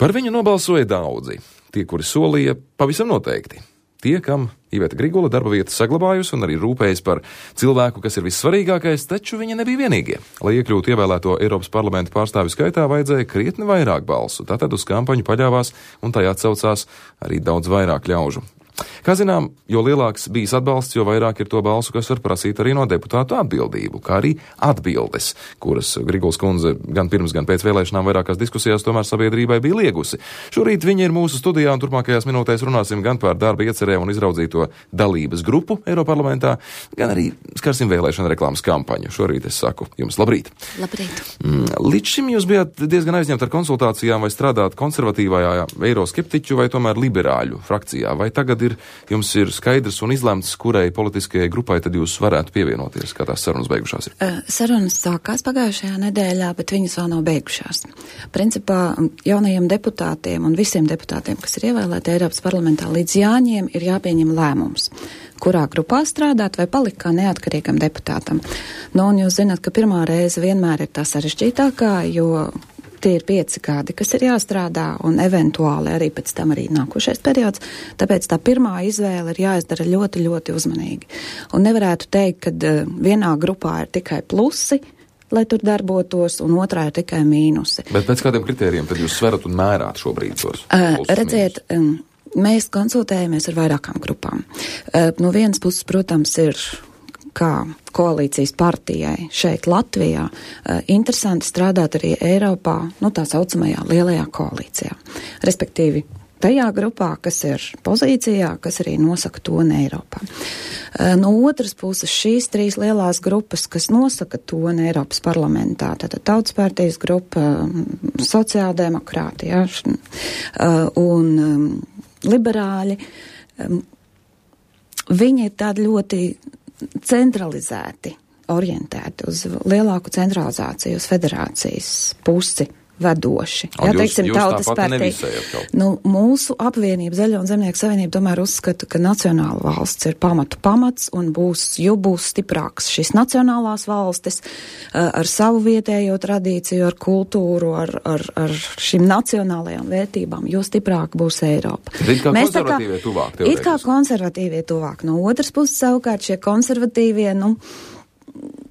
Par viņu nobalsoja daudzi. Tie, kuri solīja, pavisam noteikti. Tie, kam Iveta Grigula darba vietas saglabājusi un arī rūpējas par cilvēku, kas ir vissvarīgākais, taču viņa nebija vienīgie. Lai iekļūtu ievēlēto Eiropas parlamenta pārstāvju skaitā, vajadzēja krietni vairāk balsu. Tātad uz kampaņu paļāvās un tajā atsaucās arī daudz vairāk ļaužu. Kā zinām, jo lielāks bijis atbalsts, jo vairāk ir to balsu, kas var prasīt arī no deputātu atbildību, kā arī atbildes, kuras Grigulas kundze gan pirms, gan pēc vēlēšanām vairākās diskusijās tomēr sabiedrībai bija liegusi. Šorīt viņa ir mūsu studijā un turpmākajās minūtēs runāsim gan par darba iecerēm un izraudzīto dalības grupu Eiroparlamentā, gan arī skarsim vēlēšana reklāmas kampaņu. Šorīt es saku jums labrīt. Labrīt. Līdz šim jūs bijāt diezgan aizņemti ar konsultācijām, vai strādāt konservatīvajā eiroskeptiķu vai tomēr liberāļu frakcijā, vai tagad jums ir skaidrs un izlemts, kurai politiskajai grupai tad jūs varētu pievienoties, kā tās sarunas beigušās ir? Sarunas sākās pagājušajā nedēļā, bet viņas vēl nav beigušās. Principā jaunajiem deputātiem un visiem deputātiem, kas ir ievēlēti Eiropas parlamentā līdz jāņiem, ir jāpieņem lēmums, kurā grupā strādāt vai palikt kā neatkarīgam deputātam. Un jūs zināt, ka pirmā reize vienmēr ir tā sarežģītākā, jo tie ir 5 gadi, kas ir jāstrādā, un eventuāli arī pēc tam arī nākošais periods, tāpēc tā pirmā izvēle ir jāizdara ļoti, ļoti uzmanīgi. Un nevarētu teikt, ka vienā grupā ir tikai plusi, lai tur darbotos, un otrā ir tikai mīnusi. Bet pēc kādiem kritērijiem tad jūs sverat un mērāt šobrīd tos? Redziet, mēs konsultējamies ar vairākām grupām. No vienas puses, protams, ir kā koalīcijas partijai šeit Latvijā, interesanti strādāt arī Eiropā, tā saucamajā lielajā koalīcijā. Respektīvi, tajā grupā, kas ir pozīcijā, kas arī nosaka toni Eiropā. No otras puses, šīs 3 lielās grupas, kas nosaka toni Eiropas parlamentā, tātad Tautas partijas grupa, sociāldemokrāti, un liberāļi, viņi ir tādi ļoti centralizēti, orientēti uz lielāku centralizāciju, uz federācijas pusi vedoši. Teiksim, Tautas partija. Mūsu apvienība, Zaļo un Zemnieku savienība, tomēr uzskata, ka nacionāla valsts ir pamats un būs stiprāks šīs nacionālās valstis ar savu vietējo tradīciju, ar kultūru, ar šīm nacionālajām vērtībām, jo stiprāk būs Eiropa. It kā konservatīvie tuvāk. It kā konservatīvie tuvāk. No otras puses savukārt šie konservatīvie,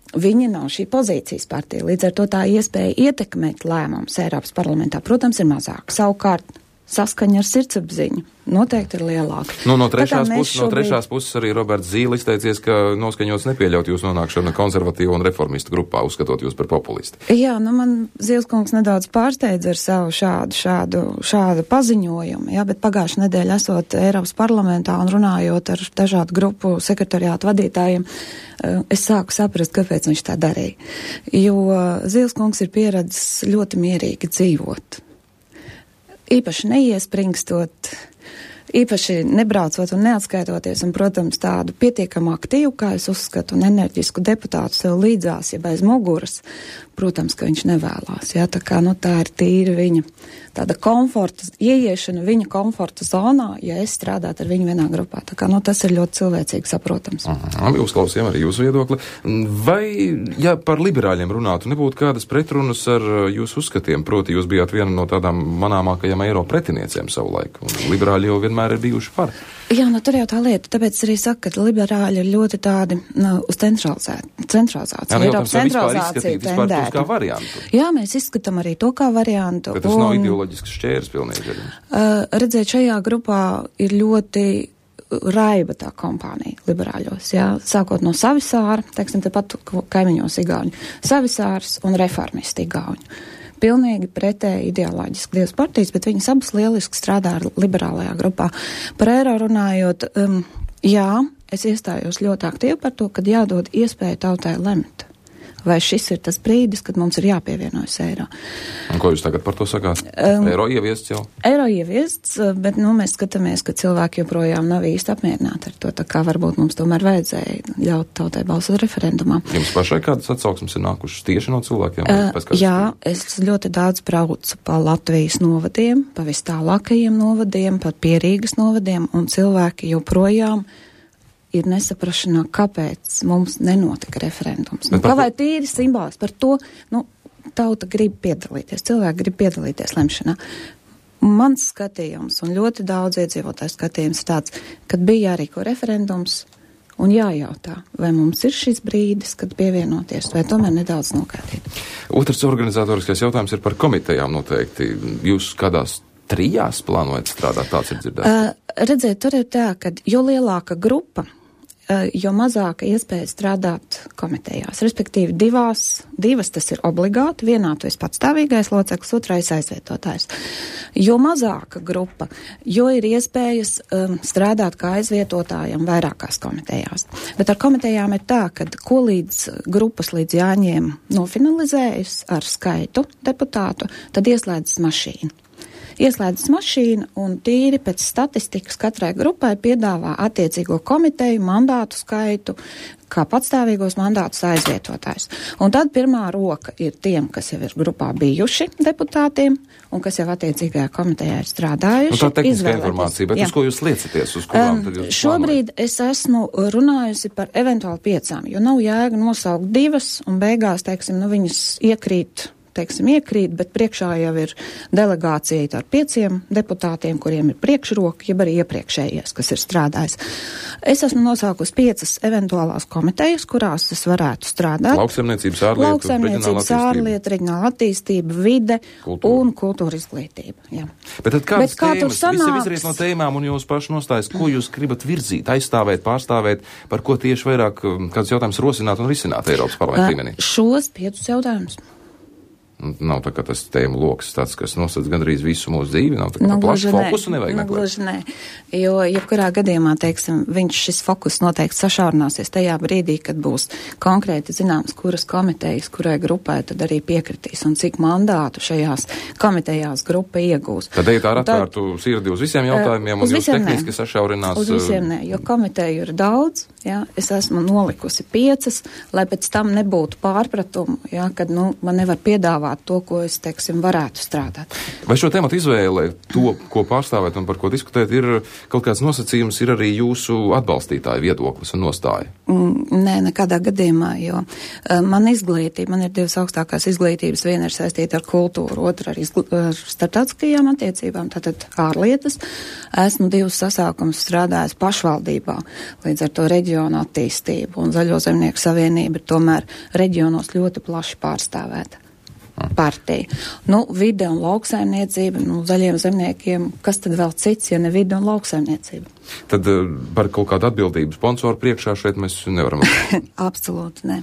viņi nav šī pozīcijas partija, līdz ar to tā iespēja ietekmēt lēmumus Eiropas parlamentā, protams, ir mazāk. Savukārt, saskaņa ar sirdsapziņu noteikti ir lielāka. No trešās puses arī Roberts Zīle izteicies, ka noskaņots nepieļaut jūs nonākšanu konservatīvu un reformistu grupā, uzskatot jūs par populisti. Jā, man Zīles kungs nedaudz pārsteidz ar savu šādu paziņojumu, bet pagājušajā nedēļā esot Eiropas parlamentā un runājot ar dažādu grupu sekretariātu vadītājiem, es sāku saprast, kāpēc viņš tā darīja. Jo Zīles kungs ir pieredzis ļoti mierīgi dzīvot. Īpaši neiespringstot, īpaši nebraucot un neatskaitoties, un, protams, tādu pietiekamu aktīvu, kā es uzskatu, un enerģisku deputātu sev līdzās, ja bez muguras, protams, ka viņš nevēlās. Tā kā, tā ir tīri viņa tāda ieiešana viņa komforta zonā, ja es strādātu ar viņu vienā grupā. Tā kā, tas ir ļoti cilvēcīgi saprotams. Uzklausījām arī jūsu viedokli. Vai, ja par liberāļiem runātu, nebūtu kādas pretrunas ar jūsu uzskatiem? Proti, jūs bijāt viena no tādām manāmākajām eiro pretiniecēm savulaik, un liberāļi jau vienmēr ir bijuši par. Jā, tur jau tā lieta, tāpēc arī saka, ka liberāļi ir ļoti tādi uz centralizāciju. Eiropas centralizācija tendēta. Kā variantu. Jā, mēs izskatām arī to kā variantu. Bet tas nav ideoloģisks šķērs pilnīgi. Redziet, šajā grupā ir ļoti raiba tā kompānija liberāļos, sākot no Savisāra, teiksim, tepat kaimiņos igauņu, Savisārs un reformisti igauņu. Pilnīgi pretēji ideoloģiski divas partijas, bet viņas abas lieliski strādā ar liberālajā grupā. Par eiro runājot, es iestājos ļoti aktīvi par to, kad jādod iespēju tautai lemt. Vai šis ir tas brīdis, kad mums ir jāpievienojas eiro. Un ko jūs tagad par to sakāt? Eiro ieviests jau? Eiro ieviests, bet mēs skatāmies, ka cilvēki joprojām nav īsti apmierināti ar to, tā kā varbūt mums tomēr vajadzēja ļaut tautai balsot referendumā. Jums pašai kādas atsauksmes ir nākušas tieši no cilvēkiem? Jā, es ļoti daudz braucu pa Latvijas novadiem, pa vis tālākajiem novadiem, pa Pierīgas novadiem, un cilvēki joprojām ir nesaprašanā, kāpēc mums nenotika referendums. Kā vai tīri simbols par to, tauta grib piedalīties, cilvēki grib piedalīties lemšanā. Mans skatījums un ļoti daudz iedzīvotāju skatījums ir tāds, kad bija jārīko referendums un jājautā, vai mums ir šis brīdis, kad pievienoties, vai tomēr nedaudz nokaitīt. Otrs organizatoriskais jautājums ir par komitejām noteikti. Jūs kādās 3 plānojat strādāt, tāds ir dzirdēts? Redziet, tur ir tā, ka jo lielāka grupa, jo mazāka iespēja strādāt komitejās. Respektīvi, divas tas ir obligāti, vienā tu esi patstāvīgais loceklis, otrais aizvietotājs. Jo mazāka grupa, jo ir iespējas strādāt kā aizvietotājiem vairākās komitejās. Bet ar komitejām ir tā, ka ko grupas līdz jāņem nofinalizējas ar skaitu deputātu, tad ieslēdzas mašīna. Ieslēdzas mašīna un tīri pēc statistikas katrai grupai piedāvā attiecīgo komiteju mandātu skaitu, kā patstāvīgos mandātus aizvietotājs. Un tad pirmā roka ir tiem, kas jau ir grupā bijuši deputātiem un kas jau attiecīgajā komitejā ir strādājuši. Tā tehniskā informācija, bet uz ko jūs liecaties? Uz kurām tad jūs šobrīd es esmu runājusi par eventuāli 5, jo nav jēga nosaukt 2 un beigās, teiksim, viņas iekrīt, bet priekšā jau ir delegācija ar 5 deputātiem, kuriem ir priekšroka, jeb arī iepriekšējies, kas ir strādājis. Es esmu nosaukusi 5 eventuālās komitejas, kurās es varētu strādāt. Lauksaimniecības, ārlietu, reģionāla attīstība, vide un kultūra izglītība. Jā. Bet tad kādas tēmas, visi izriet no tēmām un jūs paši nostājas, ko jūs gribat virzīt, aizstāvēt, pārstāvēt, par ko tieši vairāk kādus jautājumus rosināt un risināt Eiropas parlamenta līmenī? Šos 5 jautājumus. Nav tā kā tas tēmu loks tāds, kas nosacīs gandrīz visu mūsu dzīvi, nav tā kā plašu fokusu nevajag meklēt. Gluži nē, jo jebkurā gadījumā, teiksim, šis fokus noteikti sašaurināsies tajā brīdī, kad būs konkrēti zināms, kuras komitejas, kurai grupai tad arī piekritīs un cik mandātu šajās komitejās grupa iegūs. Tad ejiet ar atvērtu sirdi uz visiem jautājumiem un jūs tehniski sašaurinās. Uz visiem nē, jo komiteju ir daudz, jā, es esmu nolikusi 5, lai pēc tam nebūtu pārpratumu, jā, kad, man nevar piedāvāt to, ko es, teiksim, varētu strādāt. Vai šo tematu izvēle, to, ko pārstāvēt un par ko diskutēt, ir kaut kāds nosacījums, ir arī jūsu atbalstītāju viedoklis un nostāja? Nē, nekādā gadījumā, jo man ir 2 augstākās izglītības, viena ir saistīta ar kultūru, otra ar starptautiskajām attiecībām, tātad ārlietas. Esmu 2 sasākumus strādājis pašvaldībā, līdz ar to reģionu attīstību, un Zaļo zemnieku savienība ir tomēr reģionos ļoti plaši pārstāvēta partija. Vide un lauksaimniecība, zaļiem zemniekiem, kas tad vēl cits, ja ne vide un lauksaimniecība? Tad par kaut kādu atbildību sponsoru priekšā šeit mēs nevaram. Absolūti, ne.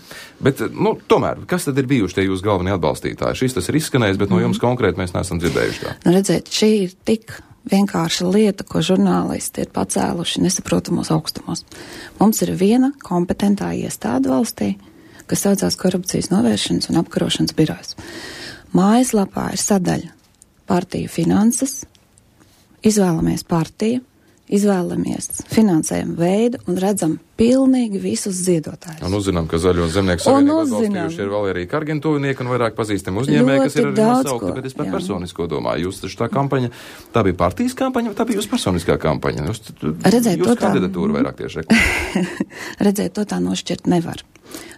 Bet, tomēr, kas tad ir bijuši tie jūsu galvenie atbalstītāji? Šis tas ir izskanējis, bet no jums konkrēti mēs neesam dzirdējuši tā. Redziet, šī ir tik vienkārša lieta, ko žurnālisti ir pacēluši nesaprotamos augstumos. Mums ir viena kompetentā iestāde valstī, kas saucās Korupcijas novēršanas un apkarošanas birojas. Mājaslapā ir sadaļa partiju finanses, izvēlamies partiju, izvēlamies finansējumu veidu un redzam pilnīgi visus ziedotājus. Un uzzinām, ka Zaļo zemnieku savienību atbalstījuši ir vēl arī Kargintuvinieki un vairāk pazīstami uzņēmēji, kas ir arī nosaukti, bet es par personisko domāju. Jūs taču tā kampaņa, tā bija partijas kampaņa, vai tā bija jūsu personiskā kampaņa? Jūs kandidatūru vairāk tieši reklamējat. Redzēt, to tā nošķirt nevar.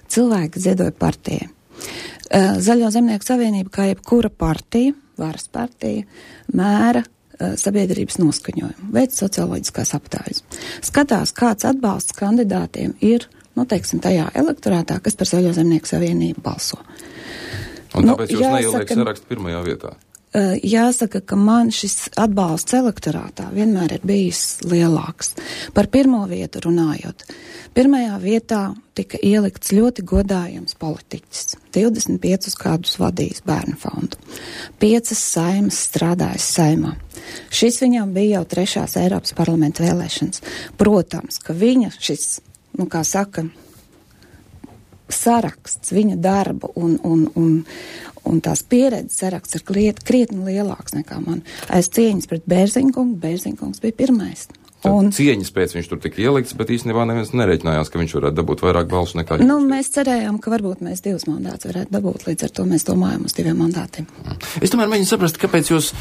Cilvēki ziedoja partijai. Zaļo zemnieku savienība, kā jebkura partija, varas partija, mēra sabiedrības noskaņojumu, veic socioloģiskās aptājas. Skatās, kāds atbalsts kandidātiem ir, tajā elektorātā, kas par Zaļo zemnieku savienību balso. Un tāpēc jūs neieliek sarakstu pirmajā vietā? Jāsaka, ka man šis atbalsts elektorātā vienmēr ir bijis lielāks. Par pirmo vietu runājot. Pirmajā vietā tika ielikts ļoti godājams politiķis. 25 gadus vadījis bērnu fondu. 5 saimas strādājis saimā. Šis viņam bija jau 3. Eiropas parlamenta vēlēšanas. Protams, ka viņa šis, saraksts, viņa darba un tās pieredzes saraksts ir krietni lielāks nekā man. Aiz cieņas pret Bērziņkungu, Bērziņkungs bija pirmais. cieņas pēc viņš tur tika ielikts, bet īstenībā neviens nereiķinājās, ka viņš varētu dabūt vairāk balsu nekā jūs. Mēs cerējām, ka varbūt mēs 2 mandātus varētu dabūt, līdz ar to mēs domājam uz 2 mandātiem. Es tomēr mēģinu saprast, kāpēc jūs,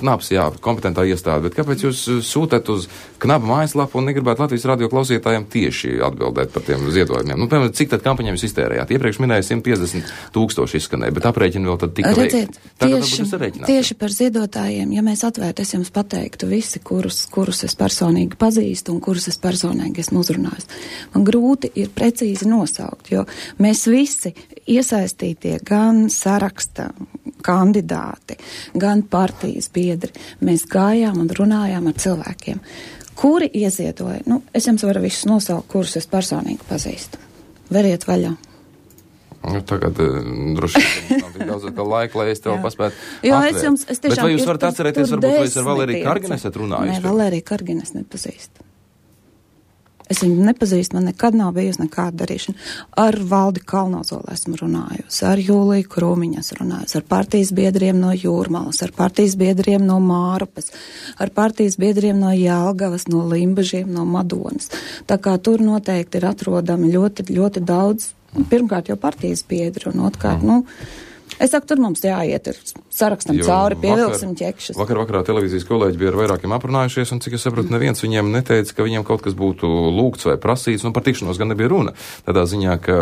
Knaps, jā, kompetentā iestāde, bet kāpēc jūs sūtāt uz Knapa mājaslapu un negribētu Latvijas radio klausītājiem tieši atbildēt par tiem ziedojumiem? Piemēram, cik tad kampaņām jūs iztērējāt? Iepriekš minēja 150 000 izskanēja, bet aprēķini vēl tad tika veikti. Tieši par ziedotājiem, ja mēs atvērtu, es jums pateiktu visi, kurus es personīgi pazīstu un kurus es personīgi esmu uzrunājis. Man grūti ir precīzi nosaukt, jo mēs visi iesaistītie gan saraksta kandidāti, gan partijas biedri, mēs gājām un runājām ar cilvēkiem, kuri ieziedoja. Es jums varu visus nosaukt, kurus es personīgi pazīstu. Veriet vaļā. Tagad droši vien nav tik daudz laika, lai es tev paspētu atvērt. Bet vai jūs varat atcerēties, varbūt vai es ar Valēriju Karginu esat runājis? Nē, Valēriju Karginu es nepazīstu. Es viņu nepazīstu, man nekad nav bijusi nekāda darīšana. Ar Valdi Kalnozolu esmu runājusi, ar Jūliju Krūmiņu esmu runājusi, ar partijas biedriem no Jūrmalas, ar partijas biedriem no Mārupas, ar partijas biedriem no Jelgavas, no Limbažiem, no Madonas. Tā kā tur noteikti ir atrodami ļoti, ļoti daudz, pirmkārt jau partijas biedri, un otrkārt, es saku, tur mums jāiet ar sarakstam cauri, pievilksim ķekšus. Vakarā televīzijas kolēģi bija ar vairākiem aprunājušies, un cik es saprotu, neviens viņiem neteica, ka viņiem kaut kas būtu lūgts vai prasīts, par tikšanos gan nebija runa. Tādā ziņā, ka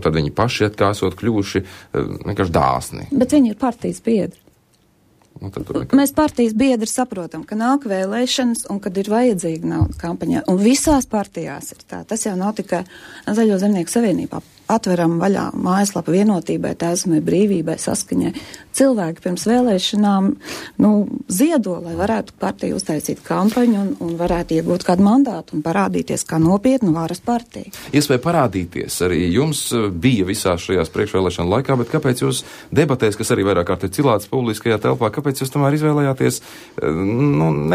tad viņi paši esot kļuvuši vienkārši dāsni. Bet viņi ir partijas biedri. Mēs partijas biedri saprotam, ka nāk vēlēšanas un kad ir vajadzīga nauda kampaņā. Un visās partijās ir tā. Tas jau nav tikai Zaļo zemnieku savienībā. Atveram vaļā mājaslapu Vienotībai, Taisnībai, Brīvībai, Saskaņai. Cilvēki pirms vēlēšanām ziedo, lai varētu partiju uztaisīt kampaņu un varētu iegūt kādu mandātu un parādīties kā nopietnu varas partiju. Iespēja parādīties arī jums bija visās šajās priekšvēlēšana laikā, bet kāpēc jūs debatēs, kas arī vairāk kārt ir cilāts publiskajā telpā, kāpēc jūs tomēr izvēlējāties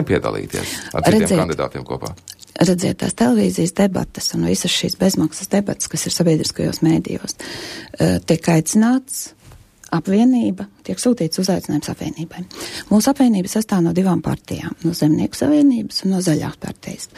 nepiedalīties ar citiem kandidātiem kopā? Redziet, tās televīzijas debatas un visas šīs bezmaksas debatas, kas ir sabiedriskajos mēdījos, tiek aicināts apvienība, tiek sūtīts uzaicinājums apvienībai. Mūsu apvienība sastāv no 2 partijām, no Zemnieku savienības un no Zaļās partijas.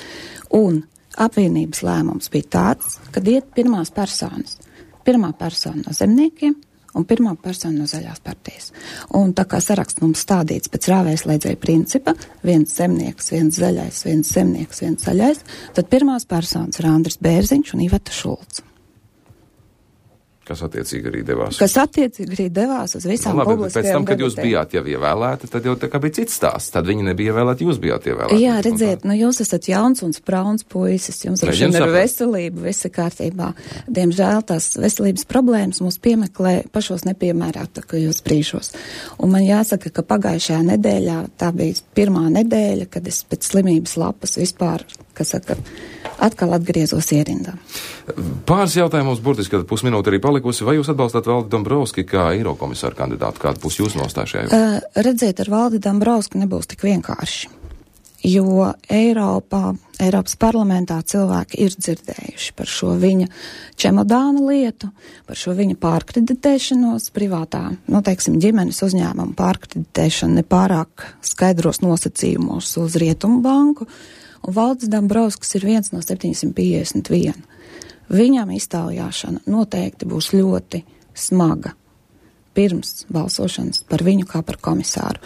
Un apvienības lēmums bija tāds, kad iet pirmās personas. Pirmā persona no zemniekiem un pirmā persona no Zaļās partijas. Un tā kā saraksts mums stādīts pēc rāvējslēdzēja principa, viens zemnieks, viens zaļais, viens zemnieks, viens zaļais, tad pirmās personas ir Andris Bērziņš un Iveta Šulcs. Kas attiecīgi arī devās. Uz visām publiskajām pēc tam, kad jūs bijāt jau ievēlēti, tad jau tā kā bija cits stāsts. Tad viņi nebija ievēlēti, jūs bijāt ievēlēti. Jā, redziet, jūs esat jauns un sprauns puisis, jums ir veselība, visi kārtībā. Diemžēl tās veselības problēmas mūs piemeklē pašos nepiemērātākajos brīžos. Un man jāsaka, ka pagājušajā nedēļā, tā bija pirmā nedēļa, kad es pēc slimības lapas vispār, atkal atgriezos ierindā. Pāris jautājumos burtiski, kad pusminūte arī palikusi. Vai jūs atbalstāt Valdi Dombrovski kā eirokomisāru kandidātu? Kāda būs jūsu nostāja šajā? Redziet, ar Valdi Dombrovski nebūs tik vienkārši. Jo Eiropas parlamentā cilvēki ir dzirdējuši par šo viņa čemodāna lietu, par šo viņa pārkreditēšanos privātā, ģimenes uzņēmumu pārkreditēšanu nepārāk skaidros nosacījumos uz Rietumu banku. Un Valdis Dombrovskis ir viens no 751. Viņam iztaujāšana noteikti būs ļoti smaga pirms balsošanas par viņu kā par komisāru.